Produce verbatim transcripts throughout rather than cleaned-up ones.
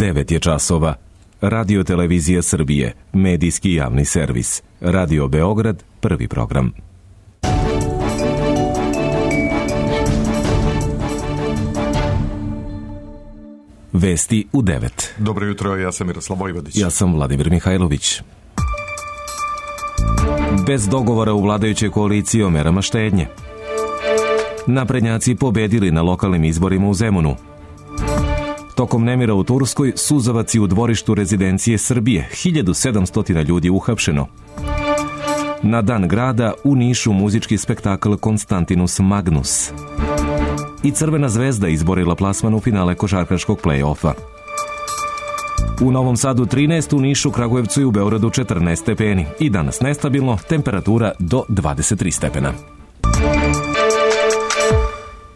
devet je časova. Radio Televizija Srbije, medijski javni servis. Radio Beograd, prvi program. Vesti u devet. Dobro jutro, ja sam Miroslav Vojvodić. Ja sam Vladimir Mihajlović. Bez dogovora u vladajućoj koaliciji o merama štednje. Naprednjaci pobedili na lokalnim izborima u Zemunu. Tokom nemira u Turskoj, suzavaci u dvorištu rezidencije Srbije, hiljadu sedamsto ljudi uhapšeno. Na dan grada u Nišu muzički spektakl Konstantinus Magnus. I Crvena zvezda izborila plasman u finale košarkaškog play-offa. U Novom Sadu trinaest, u Nišu, Kragujevcu i u Beogradu četrnaest stepeni. I danas nestabilno, temperatura do dvadeset tri stepena.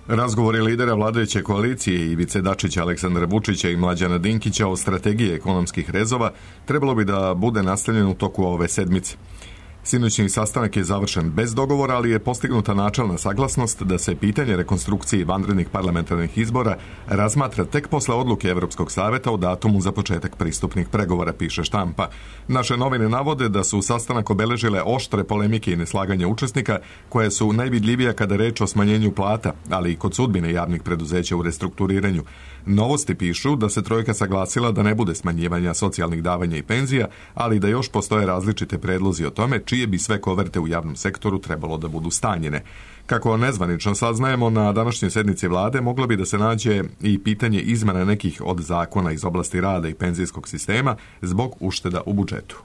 Razgovori lidera vladajuće koalicije Ivice Dačića, Aleksandra Vučića i Mlađana Dinkića o strategiji ekonomskih rezova trebalo bi da bude nastavljen u toku ove sedmice. Sinoćni sastanak je završen bez dogovora, ali je postignuta načelna saglasnost da se pitanje rekonstrukcije vanrednih parlamentarnih izbora razmatra tek posle odluke Evropskog saveta o datumu za početak pristupnih pregovora, piše Štampa. Naše novine navode da su sastanak obeležile oštre polemike i neslaganja učesnika, koje su najvidljivija kada reč o smanjenju plata, ali i kod sudbine javnih preduzeća u restrukturiranju. Novosti pišu da se trojka saglasila da ne bude smanjivanja socijalnih davanja i penzija, ali da još postoje različite predlozi o tome čije bi sve koverte u javnom sektoru trebalo da budu stanjene. Kako nezvanično saznajemo, na današnjoj sednici vlade moglo bi da se nađe i pitanje izmena nekih od zakona iz oblasti rada i penzijskog sistema zbog ušteda u budžetu.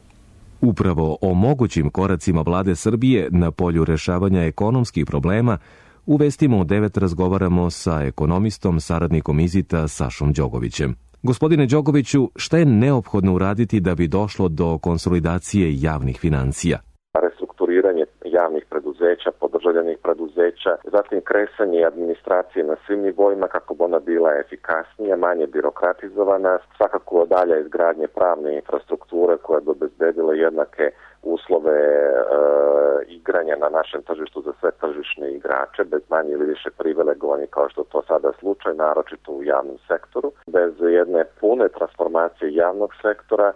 Upravo o mogućim koracima vlade Srbije na polju rešavanja ekonomskih problema u vestima u devet razgovaramo sa ekonomistom, saradnikom Izita Sašom Đogovićem. Gospodine Đogoviću, šta je neophodno uraditi da bi došlo do konsolidacije javnih financija? Restrukturiranje javnih preduzeća, podržavljenih preduzeća, zatim kresanje administracije na svim nivoima kako bi ona bila efikasnija, manje birokratizovana, svakako dalje izgradnje pravne infrastrukture koja bi obezbedila jednake uslove e, igranja na našem tržištu za sve tržišne igrače, bez manje ili više privilegovanja kao što to sada slučaj, naročito u javnom sektoru. Bez jedne pune transformacije javnog sektora e,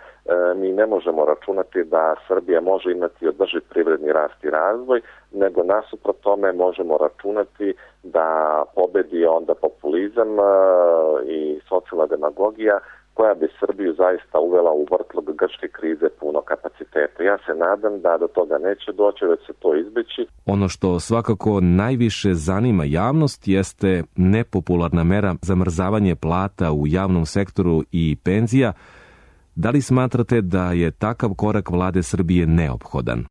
mi ne možemo računati da Srbija može imati održiv privredni rast i razvoj, nego nasuprot tome možemo računati da pobedi onda populizam e, i socijalna demagogija koja bi Srbiju zaista uvela u vrtlog grčke krize puno kapaciteta. Ja se nadam da do toga neće doći, već se to izbeći. Ono što svakako najviše zanima javnost jeste nepopularna mera zamrzavanje plata u javnom sektoru i penzija. Da li smatrate da je takav korak vlade Srbije neophodan?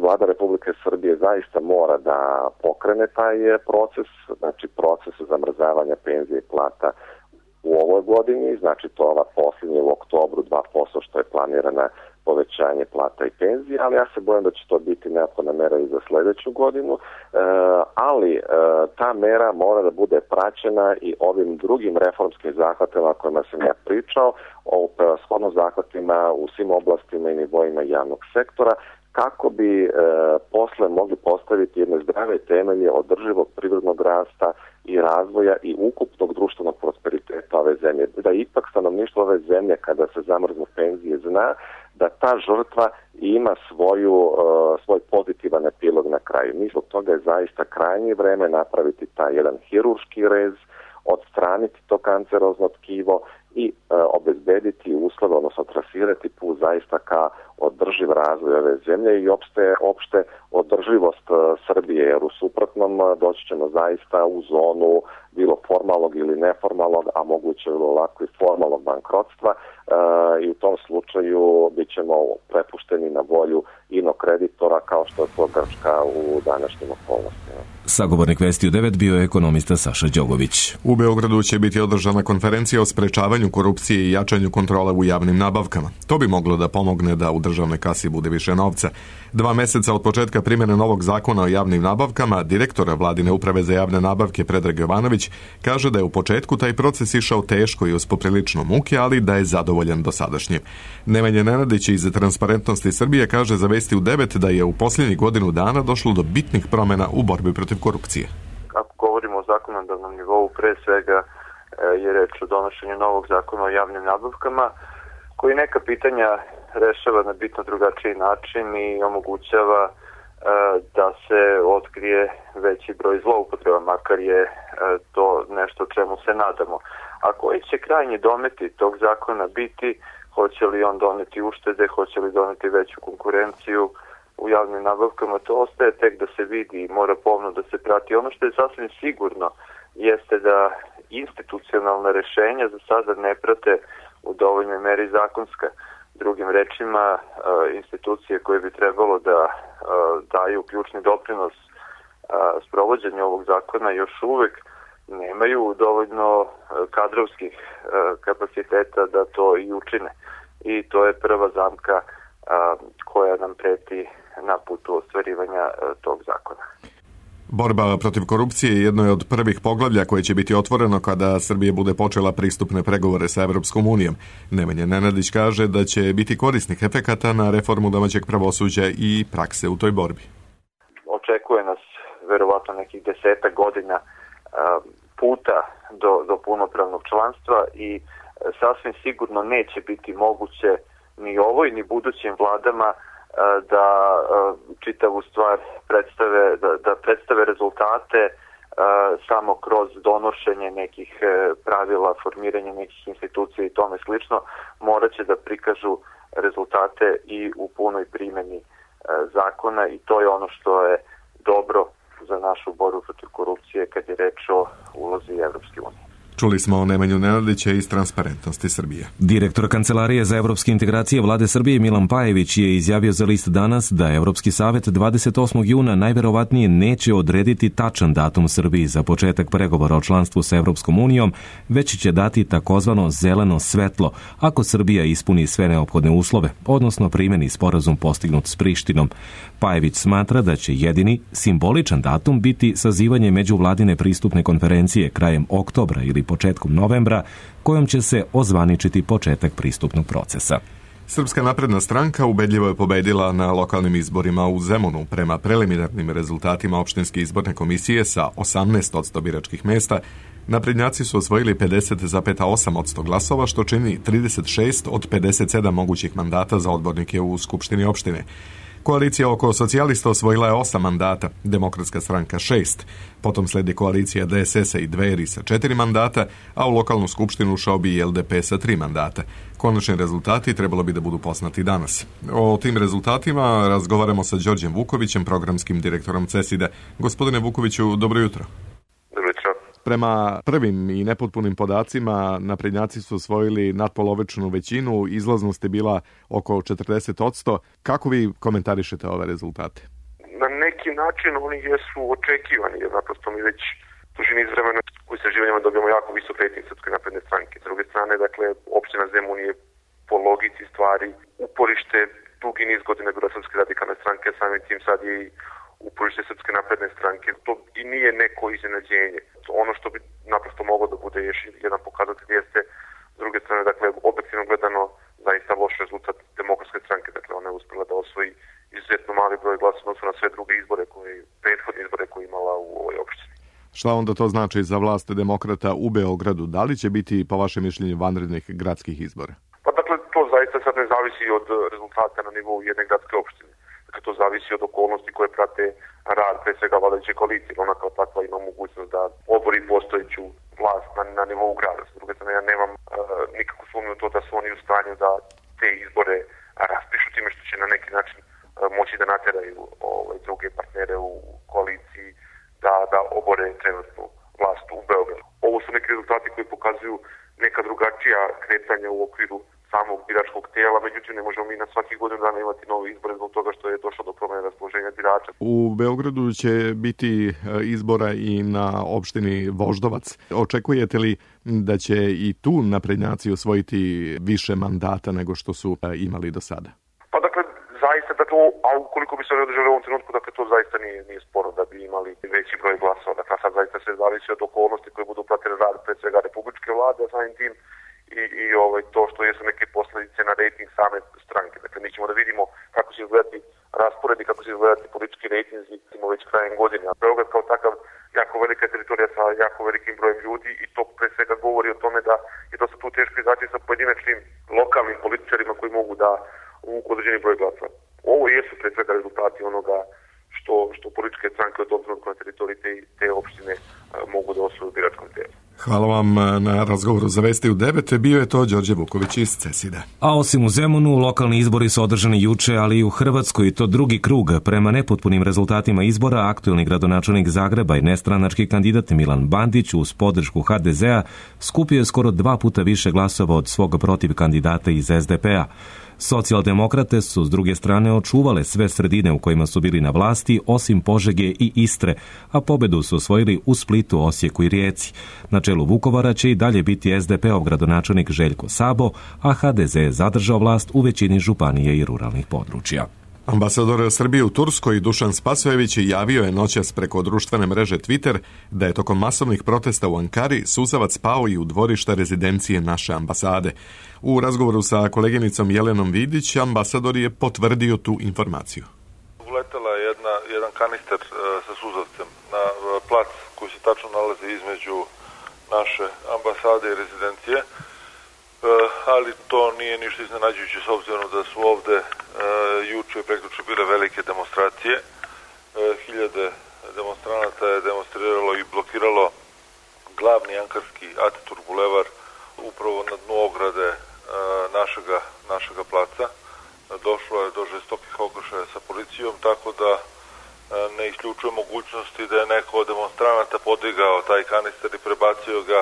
Vlada Republike Srbije zaista mora da pokrene taj proces, znači proces zamrzavanja penzije i plata u ovoj godini, znači to ova posljednja u oktobru dva posto što je planirana povećanje plata i penzija, ali ja se bojim da će to biti neophodna mera i za sljedeću godinu, e, ali e, ta mera mora da bude praćena i ovim drugim reformskim zahvatima o kojima sam ja pričao, o shodno zahvatima u svim oblastima i nivoima javnog sektora, kako bi e, posle mogli postaviti jedne zdrave temelje održivog privrednog rasta i razvoja i ukupnog društvenog prosperiteta ove zemlje. Da ipak stanovništvo ove zemlje, kada se zamrznu penzije, zna da ta žrtva ima svoju, uh, svoj pozitivan epilog na kraju. Mi zbog toga je zaista krajnje vreme napraviti taj jedan hirurški rez, odstraniti to kancerozno tkivo i uh, obezbediti uslove, odnosno trasirati put zaista ka održiv razvoj ove zemlje i opšte, opšte održivost uh, Srbije, jer u suprotnom uh, doći ćemo zaista u zonu bilo formalnog ili neformalnog, a moguće bilo lako i formalnog bankrotstva uh, i u tom slučaju bit ćemo prepušteni na volju inokreditora kao što je to Grčka u današnjim okolnostima. Sagovornik Vesti u devet bio je ekonomista Saša Đogović. U Beogradu će biti održana konferencija o sprečavanju korupcije i jačanju kontrole u javnim nabavkama. To bi moglo da pomogne da u državnoj kasi bude više novca. Dva meseca od početka primjene novog zakona o javnim nabavkama, direktora Vladine uprave za javne nabavke Predrag Jovanović kaže da je u početku taj proces išao teško i uz poprilično muke, ali da je zadovoljan dosadašnjim. Nemanja Nenadić iz Transparentnosti Srbije kaže za Vesti u devet da je u posljednjih godinu dana došlo do bitnih promjena u borbi protiv korupcije. Ako govorimo o zakonodavnom nivou, pre svega je reč o donošenju novog zakona o javnim nabavkama, koji neka pitanja rešava na bitno drugačiji način i omogućava da se otkrije veći broj zloupotreba, makar je to nešto čemu se nadamo. A koji će krajnji dometi tog zakona biti, hoće li on doneti uštede, hoće li doneti veću konkurenciju u javnim nabavkama, to ostaje tek da se vidi i mora pomno da se prati. Ono što je sasvim sigurno jeste da institucionalna rešenja za sada ne prate u dovoljnoj meri zakonska. Drugim rečima, institucije koje bi trebalo da daju ključni doprinos sprovođenju ovog zakona još uvek nemaju dovoljno kadrovskih kapaciteta da to i učine. I to je prva zamka koja nam preti na putu ostvarivanja tog zakona. Borba protiv korupcije jedno je od prvih poglavlja koje će biti otvoreno kada Srbija bude počela pristupne pregovore sa Evropskom unijom. Nemanja Nenadić kaže da će biti korisnih efekata na reformu domaćeg pravosuđa i prakse u toj borbi. Očekuje nas verovatno nekih desetak godina puta do, do punopravnog članstva i sasvim sigurno neće biti moguće ni ovoj ni budućim vladama da čitavu stvar predstave, da, da predstave rezultate samo kroz donošenje nekih pravila, formiranje nekih institucija i tome slično. Morat će da prikažu rezultate i u punoj primjeni zakona i to je ono što je dobro za našu borbu protiv korupcije kad je reč o ulozi Evropske unije. Čuli smo o Nemanju Nenadića iz Transparentnosti Srbije. Direktor Kancelarije za evropske integracije Vlade Srbije Milan Pajević je izjavio za list Danas da Evropski savet dvadeset osmog juna najverovatnije neće odrediti tačan datum Srbiji za početak pregovora o članstvu sa Evropskom unijom, već će dati takozvano zeleno svetlo ako Srbija ispuni sve neophodne uslove, odnosno primeni sporazum postignut s Prištinom. Pajević smatra da će jedini simboličan datum biti sazivanje međuvladine pristupne konferencije krajem oktobra ili početkom novembra, kojom će se ozvaničiti početak pristupnog procesa. Srpska napredna stranka ubedljivo je pobedila na lokalnim izborima u Zemunu. Prema preliminarnim rezultatima opštinske izborne komisije sa osamnaest posto biračkih mesta, naprednjaci su osvojili pedeset zarez osam posto glasova, što čini trideset šest od pedeset sedam mogućih mandata za odbornike u Skupštini opštine. Koalicija oko socijalista osvojila je osam mandata, Demokratska stranka šest, potom sledi koalicija D S S-a i Dveri sa četiri mandata, a u lokalnu skupštinu ušao bi i L D P sa tri mandata. Konačni rezultati trebalo bi da budu poznati danas. O tim rezultatima razgovaramo sa Đorđem Vukovićem, programskim direktorom CESID-a. Gospodine Vukoviću, dobro jutro. Dobro jutro. Prema prvim i nepotpunim podacima, naprednjaci su osvojili nadpolovečnu većinu, izlaznost je bila oko četrdeset posto. Kako vi komentarišete ove rezultate? Na neki način oni jesu očekivani, jer naprosto mi već duži niz vremena u istraživanjima dobijamo jako visok rejting Srpske napredne stranke. S druge strane, dakle, opština Zemun je po logici stvari uporište dugi niz godina bila Srpske radikalne stranke, samim tim sad je i uporište Srpske napredne stranke. To i nije neko iznenađenje. Ono što bi naprosto moglo da bude još jedan pokazatelj jeste, s druge strane, dakle, objektivno gledano, zaista loš rezultat Demokratske stranke. Dakle, ona je uspela da osvoji izuzetno mali broj glasa odnosno na sve druge izbore, koje, prethodne izbore koje je imala u ovoj opštini. Šta onda to znači za vlast demokrata u Beogradu? Da li će biti, po vašem mišljenju, vanrednih gradskih izbora? Pa dakle, to zaista sad ne zavisi od rezultata na nivou jedne gradske opštine. Dakle, to zavisi od okolnosti koje prate rad, pre svega vladajuće koalicije. Ona kao takva ima mogućnost da obori postojeću vlast na, na nivou grada. S druge strane, ja nemam uh, nikakvu sumnju u to da su oni u stanju da te izbore raspišu time što će na neki način uh, moći da nateraju ovaj, druge partnere u koaliciji da, da obore trenutnu vlast u Beogradu. Ovo su neki rezultati koji pokazuju neka drugačija kretanja u okviru samog biračkog tijela, međutim ne možemo mi na svaki godinu dana imati nove izbore zbog toga što je došlo do promjene raspoloženja birača. U Beogradu će biti izbora i na opštini Voždovac. Očekujete li da će i tu naprednjaci osvojiti više mandata nego što su imali do sada? Pa dakle, zaista, dakle, a ukoliko bi se oni održali u ovom trenutku, dakle, to zaista nije, nije sporo da bi imali veći broj glasova. Dakle, sad zaista se zavisi od okolnosti koje budu pratili rad pre svega republičke vlade, a samim tim i, i ovaj, to što jesu neke posljedice na rejting same stranke. Dakle, mi ćemo da vidimo kako će izgledati raspored i kako će izgledati politički rejtinzi, imamo već krajem godine. A Beograd kao takav jako velika teritorija sa jako velikim brojem ljudi i to pre svega govori o tome da je to se tu teško izaći sa pojedinačnim lokalnim političarima koji mogu da uvuku određeni broj glasova. Ovo jesu pre svega rezultati onoga što, što političke stranke od obzirom na teritoriji te, te opštine mogu da osvoju u biračkom telu. Hvala vam na razgovoru za Vesti u devet. Bio je to Đorđe Vuković iz Ceside. A osim u Zemunu, lokalni izbori su održani juče, ali i u Hrvatskoj, to drugi krug. Prema nepotpunim rezultatima izbora, aktuelni gradonačelnik Zagreba i nestranački kandidat Milan Bandić uz podršku ha de zea skupio je skoro dva puta više glasova od svog protiv kandidata iz es de pe a. Socijaldemokrate su s druge strane očuvale sve sredine u kojima su bili na vlasti, osim Požege i Istre, a pobedu su osvojili u Splitu, Osijeku i Rijeci. Na čelu Vukovara će i dalje biti es de pe ov gradonačelnik Željko Sabo, a ha de ze je zadržao vlast u većini županije i ruralnih područja. Ambasador Srbije u Turskoj Dušan Spasojević javio je noćas preko društvene mreže Twitter da je tokom masovnih protesta u Ankari suzavac pao i u dvorišta rezidencije naše ambasade. U razgovoru sa koleginicom Jelenom Vidić ambasador je potvrdio tu informaciju. Uletela je jedna, jedan kanister e, sa suzavcem na e, plac koji se tačno nalazi između naše ambasade i rezidencije. Ali to nije ništa iznenađujuće s obzirom da su ovde e, juče i prekjuče bile velike demonstracije. E, hiljade demonstranata je demonstriralo i blokiralo glavni ankarski Ataturk bulevar upravo na dnu ograde e, našega, našega placa. E, došlo je do žestokih okršaja sa policijom, tako da e, ne isključuje mogućnosti da je neko od demonstranata podigao taj kanister i prebacio ga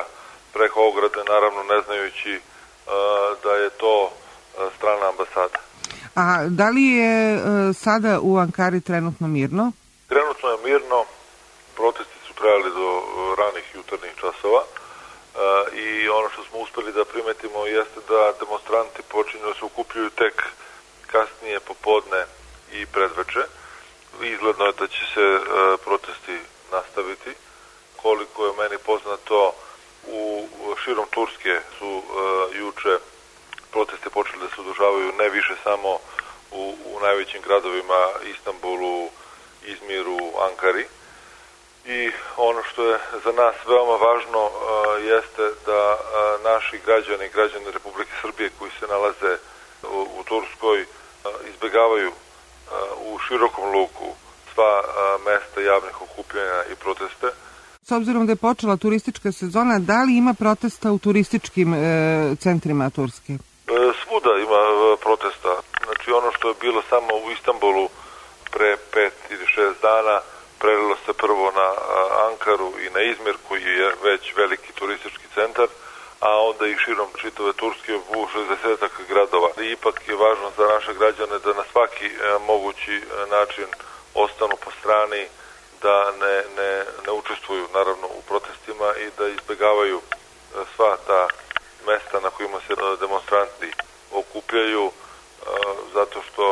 preko ograde, naravno ne znajući da je to strana ambasada. A da li je sada u Ankari trenutno mirno? Trenutno je mirno, protesti su trajali do ranih jutarnjih časova i ono što smo uspeli da primetimo jeste da demonstranti počinju da se okupljuju tek kasnije popodne i predveče. Izgledno je da će se protesti nastaviti. Koliko je meni poznato, u širom Turske su uh, juče proteste počeli da se održavaju ne više samo u, u najvećim gradovima Istanbulu, Izmiru, Ankari. I ono što je za nas veoma važno uh, jeste da uh, naši građani, građani Republike Srbije koji se nalaze u, u Turskoj uh, izbegavaju uh, u širokom luku sva uh, mesta javnih okupljanja i proteste. S obzirom da je počela turistička sezona, da li ima protesta u turističkim e, centrima Turske? E, svuda ima e, protesta. Znači ono što je bilo samo u Istanbulu pre pet ili šest dana, prelilo se prvo na a, Ankaru i na Izmir, koji je već veliki turistički centar, a onda i širom čitave Turske u šezdesetak gradova. I ipak je važno za naše građane da na svaki e, mogući e, način ostanu po strani, da ne, ne, ne učestvuju naravno u protestima i da izbegavaju sva ta mesta na kojima se demonstranti okupljaju, zato što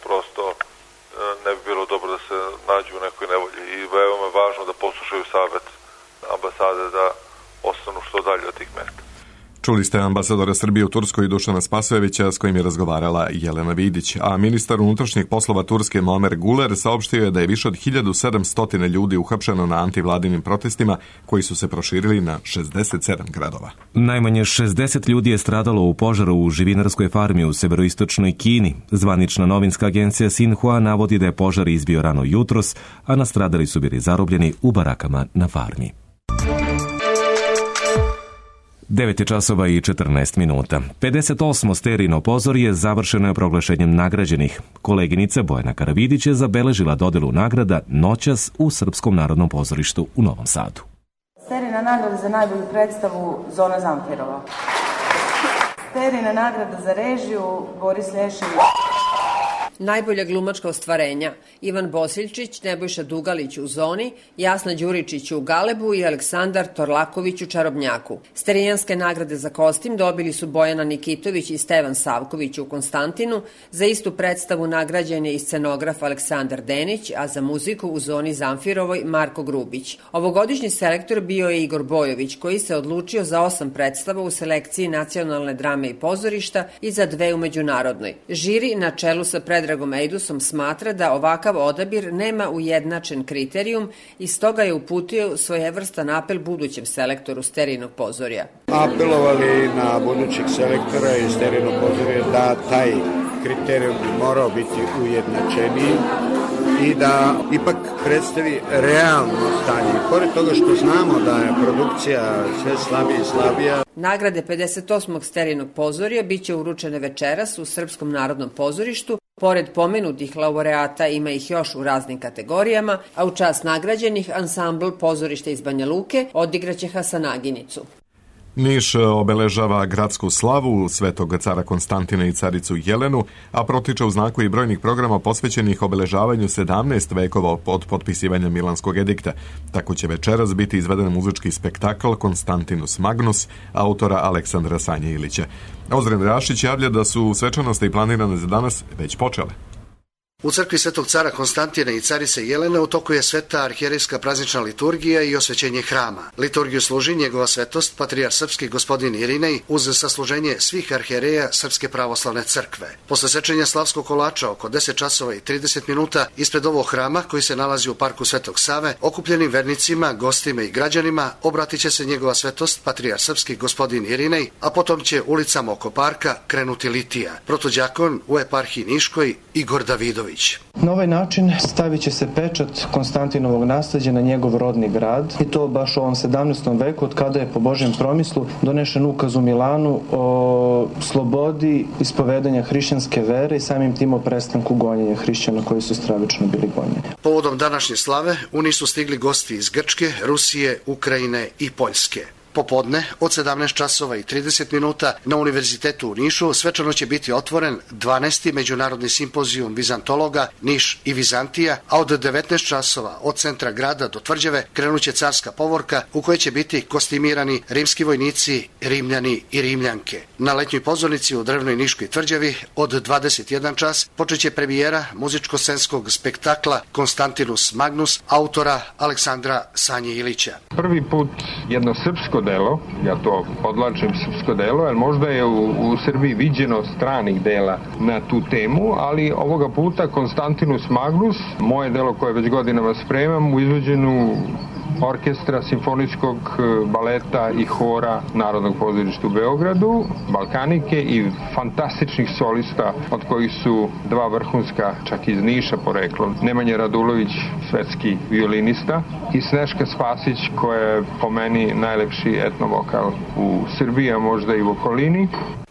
prosto ne bi bilo dobro da se nađu u nekoj nevolji i veoma je važno da poslušaju savet ambasade da ostanu što dalje od tih mesta. Čuli ste ambasadora Srbije u Turskoj Dušana Spasojevića s kojim je razgovarala Jelena Vidić, a ministar unutrašnjih poslova Turske Muamer Guler saopštio je da je više od hiljadu sedamsto ljudi uhapšeno na antivladinim protestima koji su se proširili na šezdeset sedam gradova. Najmanje šezdeset ljudi je stradalo u požaru u živinarskoj farmi u severoistočnoj Kini. Zvanična novinska agencija Sinhua navodi da je požar izbio rano jutros, a nastradali su bili zarobljeni u barakama na farmi. devet je časova i četrnaest minuta. pedeset osmo Sterino pozorje završeno je proglašenjem nagrađenih. Koleginica Bojana Karavidić je zabeležila dodelu nagrada noćas u Srpskom narodnom pozorištu u Novom Sadu. Sterina nagrada za najbolju predstavu Zona Zamfirova. Sterina nagrada za režiju Boris Lješević. Najbolja glumačka ostvarenja Ivan Bosiljčić, Nebojša Dugalić u Zoni, Jasna Đuričić u Galebu i Aleksandar Torlaković u Čarobnjaku. Sterijanske nagrade za kostim dobili su Bojana Nikitović i Stevan Savković u Konstantinu. Za istu predstavu nagrađen je i scenograf Aleksandar Denić, a za muziku u Zoni Zamfirovoj Marko Grubić. Ovogodišnji selektor bio je Igor Bojović, koji se odlučio za osam predstava u selekciji Nacionalne drame i pozorišta i za dve u međunarodnoj. Žiri na čelu sa pred Predragom Ejdusom smatra da ovakav odabir nema ujednačen kriterijum i stoga je uputio svojevrstan apel budućem selektoru Sterijinog pozorja. Apelovali na budućeg selektora iz Sterijinog pozorja da taj kriterijum bi morao biti ujednačeniji i da ipak predstavi realno stanje. Pored toga što znamo da je produkcija sve slabija i slabija. Nagrade pedeset osmog Sterijinog pozorja biće uručene večeras u Srpskom narodnom pozorištu. Pored pomenutih laureata ima ih još u raznim kategorijama, a u čast nagrađenih ansambl Pozorište iz Banja Luke odigraće Hasanaginicu. Niš obeležava gradsku slavu Svetog cara Konstantina i caricu Jelenu, a protiče u znaku i brojnih programa posvećenih obeležavanju sedamnaest vekova od potpisivanja Milanskog edikta. Tako će večeras biti izveden muzički spektakl Konstantinus Magnus, autora Aleksandra Sanje Ilića. Ozren Rašić javlja da su svečanosti planirane za danas već počele. U crkvi Svetog cara Konstantina i carice Jelene u toku je sveta arhijerejska praznična liturgija i osvećenje hrama. Liturgiju služi njegova svetost, patrijar srpski gospodin Irinej, uz sasluženje svih arhijereja Srpske pravoslavne crkve. Posle sečenja slavskog kolača oko deset časova i trideset minuta ispred ovog hrama, koji se nalazi u parku Svetog Save, okupljenim vernicima, gostima i građanima obratit će se njegova svetost, patrijar srpski gospodin Irinej, a potom će ulicama oko parka krenuti litija. Protođakon u eparhiji Niškoj Igor Davidović. Na ovaj način stavit će se pečat Konstantinovog nasleđa na njegov rodni grad i to baš u ovom sedamnaestom veku od kada je po Božjem promislu donešen ukaz u Milanu o slobodi ispovedanja hrišćanske vere i samim tim o prestanku gonjenja hrišćana koji su stravično bili gonjeni. Povodom današnje slave u Niš su stigli gosti iz Grčke, Rusije, Ukrajine i Poljske. Popodne od sedamnaest časova i trideset minuta na Univerzitetu u Nišu svečano će biti otvoren dvanaesti međunarodni simpozijum vizantologa Niš i Vizantija, a od devetnaest časova od centra grada do tvrđave krenuće carska povorka u kojoj će biti kostimirani rimski vojnici, rimljani i rimljanke. Na letnjoj pozornici u drevnoj Niškoj tvrđavi od dvadeset jedan čas počeće premijera muzičko-scenskog spektakla Konstantinus Magnus autora Aleksandra Sanje Ilića. Prvi put jedno srpsko delo, ja to podlačim srpsko delo, jer možda je u, u Srbiji viđeno stranih dela na tu temu, ali ovoga puta Konstantinus Magnus, moje delo koje već godinama spremam, u izvođenju orkestra, simfonijskog baleta i hora Narodnog pozorišta u Beogradu, Balkanike i fantastičnih solista, od kojih su dva vrhunska, čak iz Niša poreklom, Nemanja Radulović, svetski violinista, i Sneška Spasić, koja je po meni najlepši etnovokal u Srbiji, a možda i u okolini.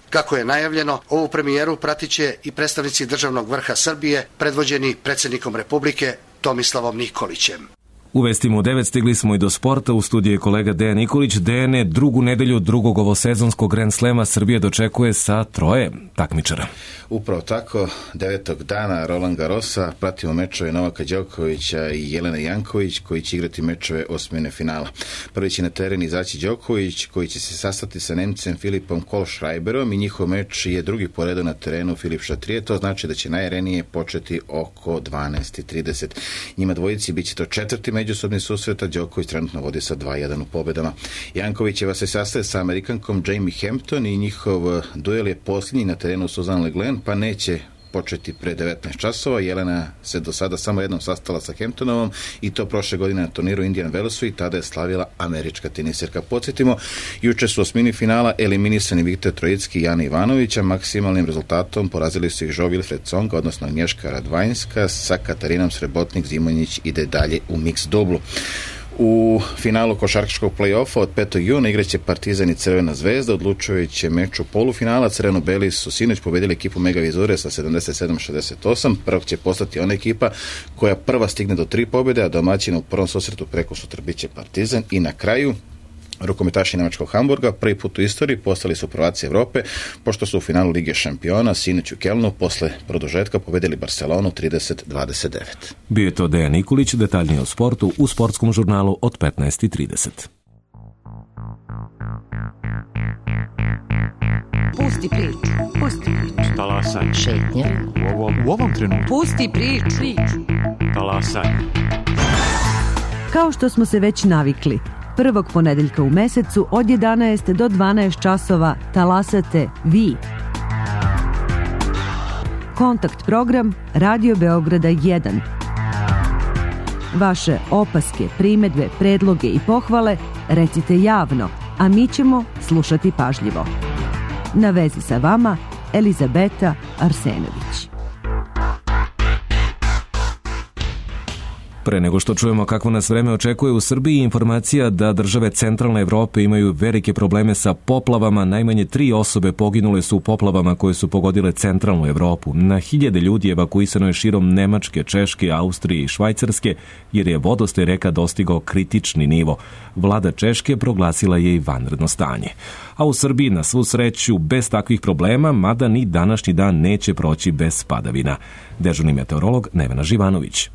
Kako je najavljeno, ovu premijeru pratit će i predstavnici državnog vrha Srbije, predvođeni predsjednikom Republike Tomislavom Nikolićem. U vestima u devet stigli smo i do sporta. U studiju je kolega Dejan Nikolić. Dejane, drugu nedelju drugog ovosezonskog Grand Slema Srbija dočekuje sa troje takmičara. Upravo tako, devetog dana Roland Garrosa pratimo mečeve Novaka Đokovića i Jelene Janković, koji će igrati mečeve osmine finala. Prvi će na teren izaći Đoković, koji će se sastati sa Nemcem Filipom Kohlschreiberom i njihov meč je drugi po redu na terenu Filip Šatrije. To znači da će najerenije početi oko dvanaest i trideset. Njima dvojici bit će to četvrti međusobni susret, a Đoković trenutno vodi sa dva jedan u pobedama. Jankovićeva se sastaje sa Amerikankom Jamie Hampton i njihov duel je posljednji na terenu Suzanne Le Glen, pa neće početi pre devetnaest časova. Jelena se do sada samo jednom sastala sa Hamptonovom i to prošle godine na turniru Indian Wellsu i tada je slavila američka tenisirka. Podsjetimo, juče su osmini finala eliminisani Viktor Trojicki i Jana Ivanovića. Maksimalnim rezultatom porazili su ih Jo Wilfred Tsonga, odnosno Agnješka Radvanjska, sa Katarinom Srebotnik Zimonjić ide dalje u mix dublu. U finalu košarkaškog play-offa od petog juna igraće Partizan i Crvena zvezda. Odlučujući meč u polufinala Crveno-beli su sinoć pobedili ekipu Mega Vizure sa sedamdeset sedam šezdeset osam. Prvog će postati ona ekipa koja prva stigne do tri pobjede, a domaćina u prvom susretu preko sutra biće Partizan. I na kraju rukometaši nemačkog Hamburga prvi put u istoriji postali su prvaci Evrope, pošto su u finalu Lige šampiona sinoć u Kelnu posle produžetka pobedili Barcelonu trideset dvadeset devet. Bio je to Dejan Nikolić, detaljnije o sportu u sportskom žurnalu od petnaest i trideset. Pusti priču, pusti priču. Talasaj. Šetnja. U ovom, u ovom trenutku. Pusti priču. priču. Talasaj. Kao što smo se već navikli, prvog ponedeljka u mesecu od jedanaest do dvanaest časova talasate vi. Kontakt program Radio Beograda jedan. Vaše opaske, primedbe, predloge i pohvale recite javno, a mi ćemo slušati pažljivo. Na vezi sa vama Elizabeta Arsenović. Pre nego što čujemo kako nas vreme očekuje u Srbiji, informacija da države centralne Evrope imaju velike probleme sa poplavama. Najmanje tri osobe poginule su u poplavama koje su pogodile centralnu Evropu. Na hiljade ljudi evakuisano je širom Nemačke, Češke, Austrije i Švajcarske, jer je vodostaj reka dostigao kritični nivo. Vlada Češke proglasila je i vanredno stanje. A u Srbiji, na svu sreću, bez takvih problema, mada ni današnji dan neće proći bez padavina. Dežurni meteorolog Nevena Živanović.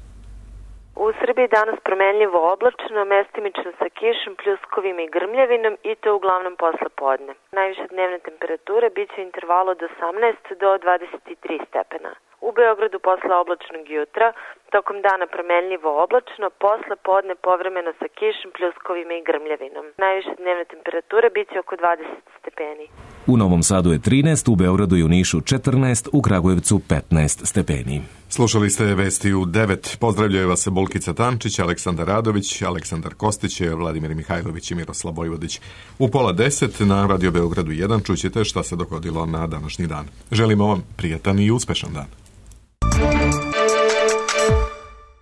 U Srbiji danas promenljivo oblačno, mestimično sa kišom, pljuskovima i grmljavinom i to uglavnom posle podne. Najviše dnevne temperature bit će u intervalu od osamnaest do dvadeset tri stepena. U Beogradu posle oblačnog jutra, tokom dana promenljivo oblačno, posle podne povremeno sa kišom, pljuskovima i grmljavinom. Najviše dnevne temperature bit će oko dvadeset stepeni. U Novom Sadu je trinaest, u Beogradu i u Nišu četrnaest, u Kragujevcu petnaest stepeni. Slušali ste vesti u devet. Pozdravljaju vas Bolkica Tančić, Aleksandar Radović, Aleksandar Kostić, Vladimir Mihajlović i Miroslav Vojvodić. U pola deset na Radio Beogradu jedan čućete šta se dogodilo na današnji dan. Želimo vam prijatan i uspešan dan.